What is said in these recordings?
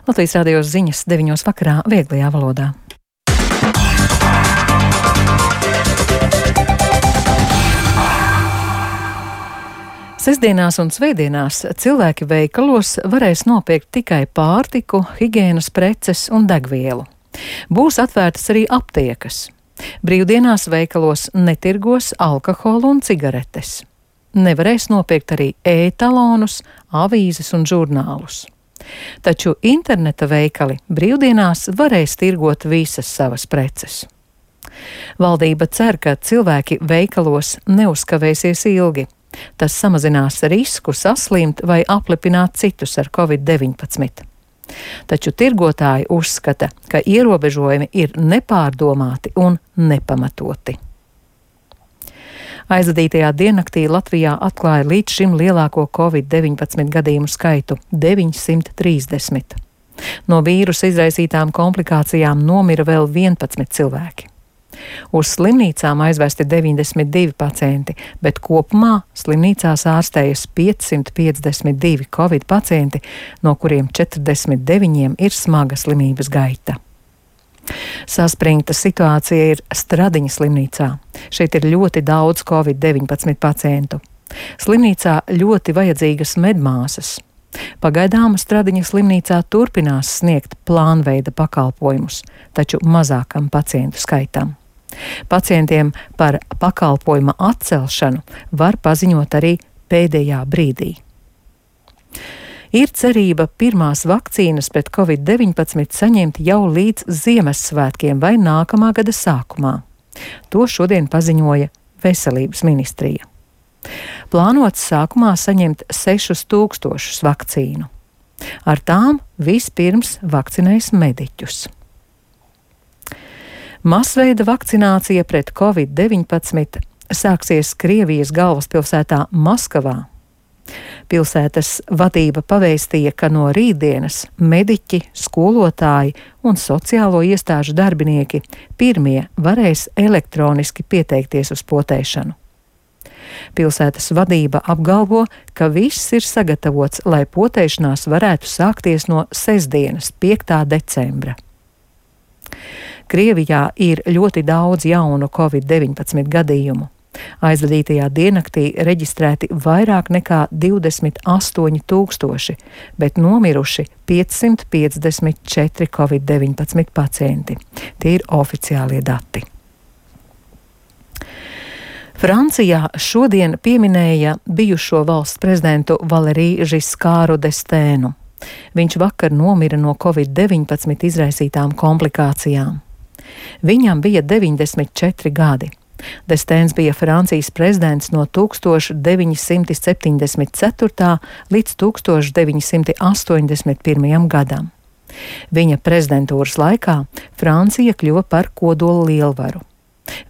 Latvijas radio ziņas 9 vakarā vieglajā valodā. Sestdienās un svētdienās cilvēki veikalos varēs nopirkt tikai pārtiku, higienas preces un degvielu. Būs atvērtas arī aptiekas. Brīvdienās veikalos netirgos alkoholu un cigaretes. Nevarēs nopirkt arī e-talonus, avīzes un žurnālus. Taču interneta veikali brīvdienās varēs tirgot visas savas preces. Valdība cer, ka cilvēki veikalos neuzkavēsies ilgi. Tas samazinās risku saslimt vai aplipināt citus ar Covid-19. Taču tirgotāji uzskata, ka ierobežojumi ir nepārdomāti un nepamatoti. Aizvadītajā diennaktī Latvijā atklāja līdz šim lielāko Covid-19 gadījumu skaitu - 930. No vīrusa izraisītām komplikācijām nomira vēl 11 cilvēki. Uz slimnīcām aizvesti 92 pacienti, bet kopumā slimnīcās ārstējas 552 Covid pacienti, no kuriem 49 ir smaga slimības gaita. Saspringta situācija ir Stradiņa slimnīcā. Šeit ir ļoti daudz Covid-19 pacientu. Slimnīcā ļoti vajadzīgas medmāsas. Pagaidām Stradiņa slimnīcā turpinās sniegt plānveida pakalpojumus, taču mazākam pacientu skaitam. Pacientiem par pakalpojuma atcelšanu var paziņot arī pēdējā brīdī. Ir cerība pirmās vakcīnas pret Covid-19 saņemt jau līdz Ziemassvētkiem vai nākamā gada sākumā. To šodien paziņoja Veselības ministrija. Plānots sākumā saņemt 6000 vakcīnu. Ar tām vispirms vakcinēs mediķus. Masveida vakcinācija pret Covid-19 sāksies Krievijas galvaspilsētā Maskavā. Pilsētas vadība pavēstīja, ka no rītdienas mediķi, skolotāji un sociālo iestāžu darbinieki pirmie varēs elektroniski pieteikties uz potēšanu. Pilsētas vadība apgalvo, ka viss ir sagatavots, lai potēšanās varētu sākties no sestdienas, 5. decembra. Krievijā ir ļoti daudz jaunu Covid-19 gadījumu. Aizvadītajā diennaktī reģistrēti vairāk nekā 28 000, bet nomiruši 554 Covid-19 pacienti. Tie ir oficiālie dati. Francijā šodien pieminēja bijušo valsts prezidentu Valeriju Žiskāru Destēnu. Viņš vakar nomira no Covid-19 izraisītām komplikācijām. Viņam bija 94 gadi. Destēns bija Francijas prezidents no 1974. līdz 1981. gadam. Viņa prezidentūras laikā Francija kļuva par kodola lielvaru.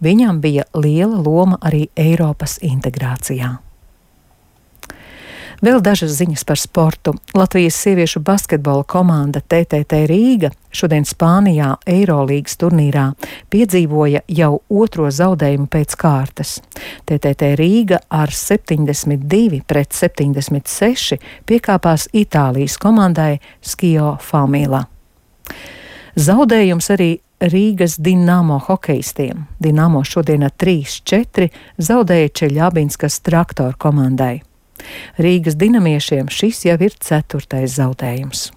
Viņam bija liela loma arī Eiropas integrācijā. Vēl dažas ziņas par sportu. Latvijas sieviešu basketbola komanda TTT Rīga šodien Spānijā Eirolīgas turnīrā piedzīvoja jau otro zaudējumu pēc kārtas. TTT Rīga ar 72-76 piekāpās Itālijas komandai Skio Famila. Zaudējums arī Rīgas Dinamo hokejistiem. Dinamo šodien ar 3-4 zaudēja Čeļabinskas Traktor komandai. Rīgas dinamiešiem šis jau ir 4. zaudējums.